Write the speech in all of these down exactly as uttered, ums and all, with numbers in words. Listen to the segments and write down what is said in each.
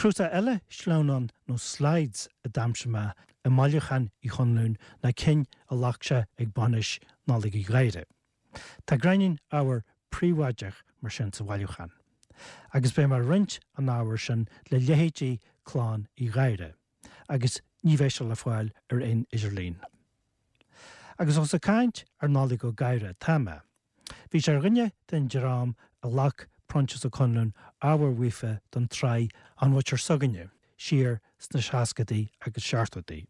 Cnuasach eile sleamhnán nó slides a d'aimsigh mé i mbailiúchán Uí Chonluain ná cinn a ghlac sé ag bainis Nollaig Uí Ghadhra. Tá gráinnín ábhar príobháideach mar sin sa bhailiúchán. Agus beidh mé ag roinnt an ábhair sin le leithéidí clann Uí Ghadhra, agus ní bheidh sé le fáil ar aon idirlíon. Agus ós ag caint ar Nollaig Ó Gadhra atá mé. Bhí sé ar dhuine den dream a ghlac Proinsias Ó Conluain ábhar uafa don tsraith An Mhuintir S'againne siar sna seascadaí agus seachtóidí.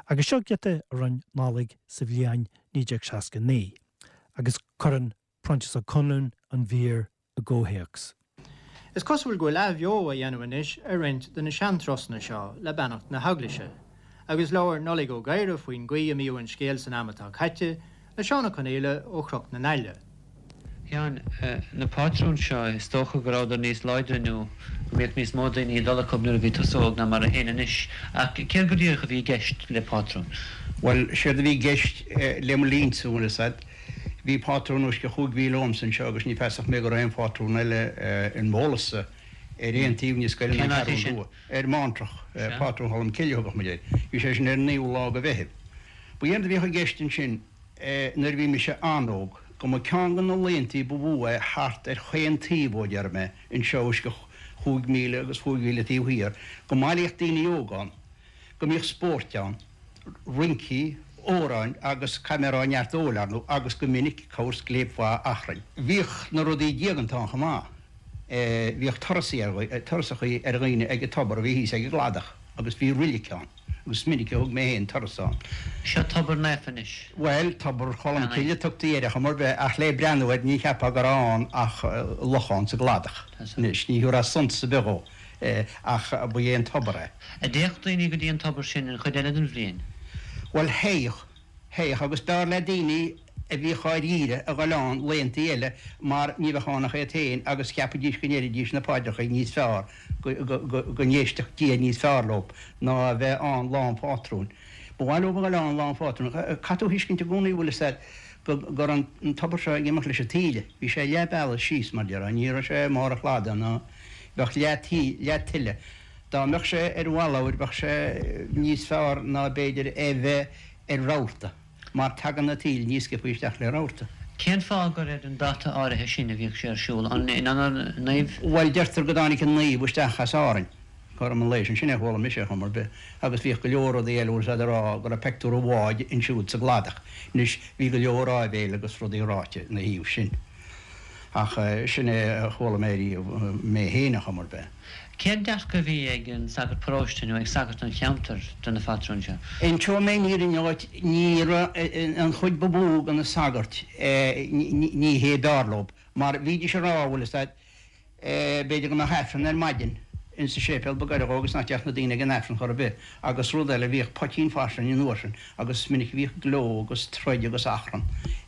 Agus seo giota a rinne Nollaig sa bhliain naoi déag seasca naoi, agus cuireann Proinsias Ó Conluain an mhír i gcomhthéacs. Is cosúil go bhfuil athbheo á dhéanamh anois ar roinnt de na seanturasanna seo le beannacht na hEaglaise, agus labhair Nollaig Ó Gadhra faoin gcaoi a mbíodh an scéal san am atá caite le Seán Ó Conaola ó Chnoc na nAille. Sheáin, na pátrúin seo, is dócha go rabhadar níos láidre nó go mbíodh níos mó daoine ag dul acu nuair a bhí tusa óg ná mar a théann anois. Ach céard go díreach a bhí i gceist le pátrún? Bhuel, séard a bhí i gceist le mo linnse, bhfuil fhios a'd, bhí pátrún os cionn chúig mhíle uaimse anseo agus ní feasach mé go raibh aon phátrún eile in m'eolas-sa ar aon taobh níos gaire ná Cén áit é Ceathrún sin? Rua, ar Mántrach, Sea. pátrún Cholm Cille a thugadh muid air. Bhí sé sin ar an naoú lá de Mheitheamh. Ba éard a bhíodh i gceist ansin, nuair a bhí mise an-óg, go mba ceann de na laethantaí ba mhó é thart ar chaon taobh ó, déarfaidh mé, anseo os cionn chúig mhíle agus chúig mhíle taobh thiar, go mbailíodh daoine óga ann, go mbíodh spóirt ann, rincí, amhráin agus caithfidh mé a rá neart óil, ar ndóigh, agus go minic corr scléip mhaith achrainn. Bhíodh na rudaí diaganta ann chomh maith. Bhíodh turasachaí ar dhaoine ag an tobar a bhí thíos ag an gcladach agus bhí roilig ann agus is minic a thug mé féin turas ann. Seo tobar naofa anois. Bhuel, Tobar Cholm Cille a tugtaí air ar chuma ar bith ach le breathnú air ní cheapfá go raibh ann ach lochán sa gcladach. Anois, ní thabharfá suntas ar bith dhó ach ba é an tobar é. An dtéadh daoine go dtí an tobar sin an chuid eile den bhliain? Bhuel, théadh. Théadh agus b'fhearr le daoine a bhíodh á riaradh a dhul ann laethantaí eile mar ní bheadh ann ach iad féin agus cheapaidís go ndéarfaidís na paidreacha níos fearr, go n-éistfeadh Dia níos fearr leo ná a bheith ann lá an phátrúin. Ba mhaith leo a dhul ann lá an phátrúin. Caithfidh tú a thuiscint i gcónaí, bhfuil fhios a'd, go raibh an tobar seo ag imeacht leis an taoille. Bhí sé leath bealaigh síos, mar déarfá, ní raibh sé i mbarr an chladaigh ná bheadh leath tí, leath tuile. Dá mbeadh sé ar bhalabhair bheadh sé níos fearr ná b'fhéidir é bheith ar rabharta, mar tagann na taoille níos sciobtha isteach le rabharta. Cén fáth gur ar an dáta áirithe sin a bhíodh sé ar siúl? An in onóir naoimh? Bhuel, deirtear go dtáinig an naomh isteach as Árainn cothrom an lae sin. Sin é a chuala mise ar chuma ar bith. Agus bhíodh go leor rudaí eile, bhfuil fhios a'd, ag rá go raibh peictiúr an bháid ansiúd sa gcladach. Anois, bhí go leor áibhéil agus rudaí ráite ina thaobh sin. Ach sin é a chuala mé riamh, mé féin ar chuma ar bith. Cén dearcadh a bhí ag an sagart paróiste nó ag sagart an cheantair de na phatrúin seo? Inseoidh mé an fhírinne dhuit, ní raibh an chuid ba mhó de na sagairt, ní hé b'fhearr leo, mar bhídís ag rá, bhfuil fhios a'd, b'fhéidir go mbeadh Aifreann ar maidin insa séipéal ba gaire dhó agus nach dtéadh na daoine ag an Aifreann chor ar bith. Agus rud eile, bhíodh poitín fairsing an uair sin agus is minic a bhíodh gleo agus troid agus achrann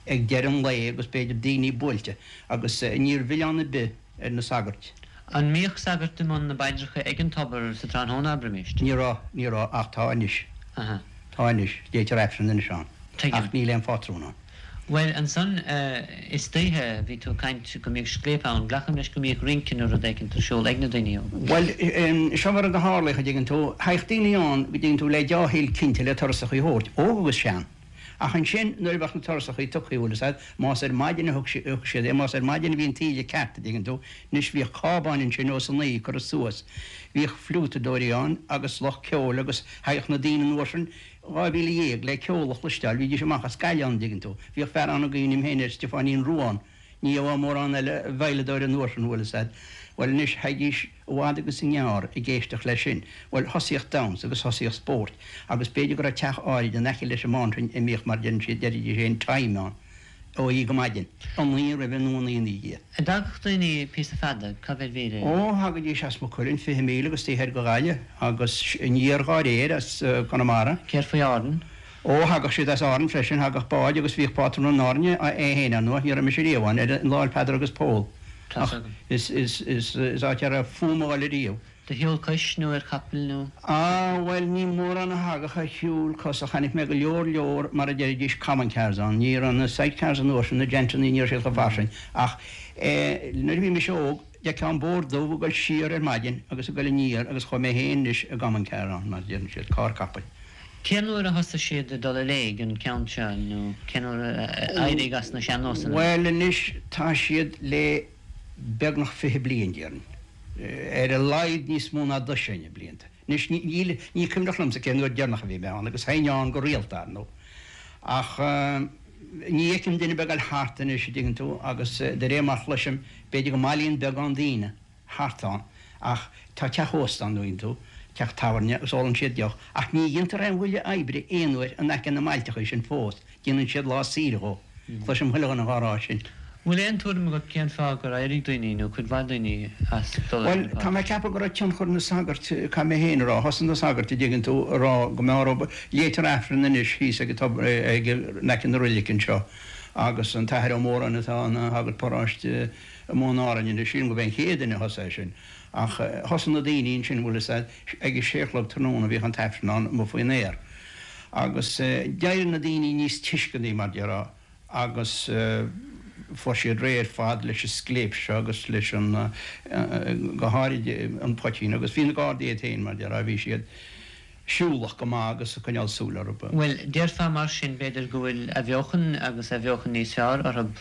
ag deireadh an lae agus b'fhéidir daoine buailte agus ní raibh milleán ar bith ar na sagairt. An mbíodh sagart i mbun na bpaidreacha ag an tobar sa tráthnóna, abraimis? Ní raibh, ní raibh, ach tá anois. Aha. Tá anois. Léitear Aifreann anois ann. Tuigim. Ach níl aon phátrún ann. Bhuel, ansan istoíche, bhí tú ag caint go mbíodh scléip ann. Glacaim leis go mbíodh rince nó rud éicint ar siúl ag na daoine óga. Bhuel, seo mar a tharlaíodh, a dtuigeann tú. Thagadh daoine ann, go dtuigeann tú, le deá-thoil cinnte le turasachaí a thabhairt, óg agus sean. Ach ansin, nuair a bheadh na turasachaí tugtha, bhfuil fhios a'd, más ar maidin a thug siad é, más ar maidin a bhí an taoille ceart, a dtuigeann tú, anois bhíodh cábáin ansin ós a naoi curtha suas, bhíodh fliútadóirí ann agus lucht ceoil agus thagadh na daoine an uair sin, dhá mhíle dhéag, le ceol a chloisteáil, bhídís amach as Gaillimh ann, a dtuigeann tú. Bhíodh fear ann a gcuimhním féin air, Stiofáinín Rua ann. Ní gheofá mórán eile veidhleadóir an uair sin, bhfuil fhios a'd. Bhuel anois, thagaidís i bhfad agus i ngearr ag éisteacht leis sin. Bhuel, thosaíodh damhsa agus thosaíodh spóirt agus b'fhéidir go raibh teach áirid in aice leis an Mántrainn a mbíodh, mar deireann siad, deiridís féin, time ann, ó oíche go maidin, a naoi roimhe nó a naoi ina dhiaidh. An dtagadh daoine píosa fada, cá mhéad mhíle? Ó, thagaidís as Maigh Cuilinn, fiche míle agus taobh thoir de Ghaillimh agus aniar dhá réir as Conamara. Céard faoi Árainn? Ó, thagadh siad as Árainn freisin, thagadh báid agus bhíodh pátrún in Árainn é féin, ar ndóigh, ní raibh mise riamh ann, ar an lá 'le Peadar agus Pól, Tá's ach agam. is, is, is, is áit a raibh fúm a dhul ariamh. De shiúl cois nó ar chapall nó? Á, bhuel, ní mórán a thagadh ar shiúl cos ach chonaic mé go leor leor, mar a deiridís, common cars ann. Ní raibh na side cars an uair sin, na gentannaí, ní raibh siad chomh fairsing ach eh, nuair a bhí mise óg, D'fheicfeá an Bóthar Dubh ag dul siar ar maidin agus ag dul aniar agus chuaigh mé féin anois i gcommon car ann, mar a deireann siad, carr capaill. Cén uair a thosaigh siad ag dul i léig, an ceann seo, nó cén uair a éiríodh as na sean-nósanna? Bhuel anois tá siad le beagnach fiche bliain, déarfainn. Ar a laghad níos mó ná dosaen blianta. Anois níl, ní cuimhneach liomsa cén uair deireanach a bhí mé ann agus théinn ann go rialta, ar ndóigh. Ach ní fheicim duine ar bith ag dul thart anois, an dtuigeann tú, agus de réir mar chloisim, b'fhéidir go mbailíonn beagán daoine thart ann, ach tá teach ósta ann, an dtuigeann tú, teach tábhairne, agus ólann siad deoch, ach ní dhéantar aon bhuille oibre aon uair in aice na mbailteachaí sin fós, déanann siad lá saoire dhó. Cloisim chuile dhuine dhá rá sin. Bhfuil aon tuairim agat cén fáth gur éirigh daoine, nó cuid mhaith daoine, as dul ar Bhuel, na tá mé pátrúin? ag ceapadh go raibh tionchar na sagart, caithfidh mé féin a rá, thosaigh na sagairt, an dtuigeann tú, a rá go mbeadh orthu, léitear Aifreann anois thíos ag an tobar, ag, in aice na roilice anseo, agus an tAthair Ó Móráin atá ina shagart paróiste i mBun Árainn anois, sílim gurb é an chéad duine a thosaigh é sin. Ach thosaigh na daoine ansin, bhfuil fhios a'd, ag a sé a chlog tráthnóna bhíodh an tAifreann ann amuigh faoin aer. Agus d'éirigh na daoine níos tuisceanaí, mar déarfá, agus fuair siad réidh ar fad leis an scléip seo agus leis an, go háirid an poitín agus bhí na Gardaí iad féin, mar déarfá, bhí siad siúlach go maith agus ag coinneáil súil orthu. Bhuel, déarfá mar sin, b'fhéidir, go bhfuil athbheochan agus athbheochan níos fearr orthu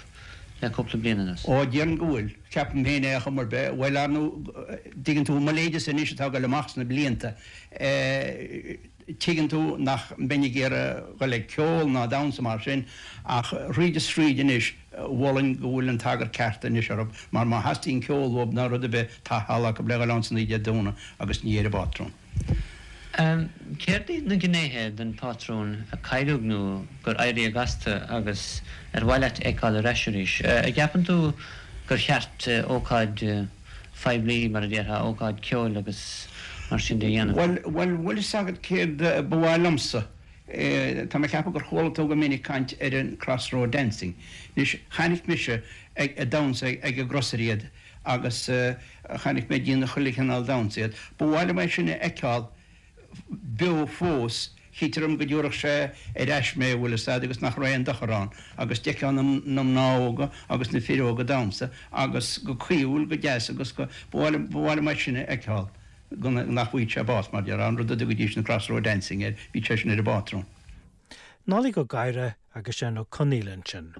le cúpla bliain anuas. Ó, déarfainn go bhfuil. Ceapaim féin é ar chuma ar bith. Bhuel, ar ndóigh, dtuigeann tú, mo leithéidese anois atá ag dul amach sna blianta, tuigeann tú nach mbeinn ag iarraidh dhul ag ceol ná damhsa mar sin, ach thríd is thríd anois, mholfainn go bhfuil an t-eagar ceart anois orthu, mar má theastaíonn ceol uathu ná rud ar bith, tá halla acu le dhul ann san oíche Dé Domhnaigh agus ní ar an bpátrún. Céard iad na gnéithe den phátrún a cailleadh nó gur éiríodh astu agus ar mhaith leat a fheiceáil ar ais arís? An gceapann tú gur cheart ócáid phoiblí, mar a déarfá, ócáid ceoil agus mar sin de a dhéanamh? Bhuel, bhuel, bhfuil fhios agat céard ba mhaith liomsa? Tá mé ag ceapadh gur chuala tú go minic caint ar an crossroad dancing. Anois, chonaic mise ag damhsa ag an gcrosaire iad agus chonaic mé ag déanamh chuile chineál damhsa iad. Ba mhaith liom é sin a fheiceáil beo fós, chítear dom go dtabharfadh sé ar ais mé, bhfuil fhios a'd, agus nach raibh aon dochar ann, agus d'fheicfeá na mná óga agus na fir óga ag damhsa agus go caoithiúil, go deas agus go, ba mhaith liom, ba mhaith liom é sin a fheiceáil, go nach bhfaigheadh sé bás, mar déarfá, an rud a dtugaidís an crossroad dancing air, bhí sé sin ar an bpátrún. Nollaig Ó Gadhra agus Seán Ó Conaola ansin.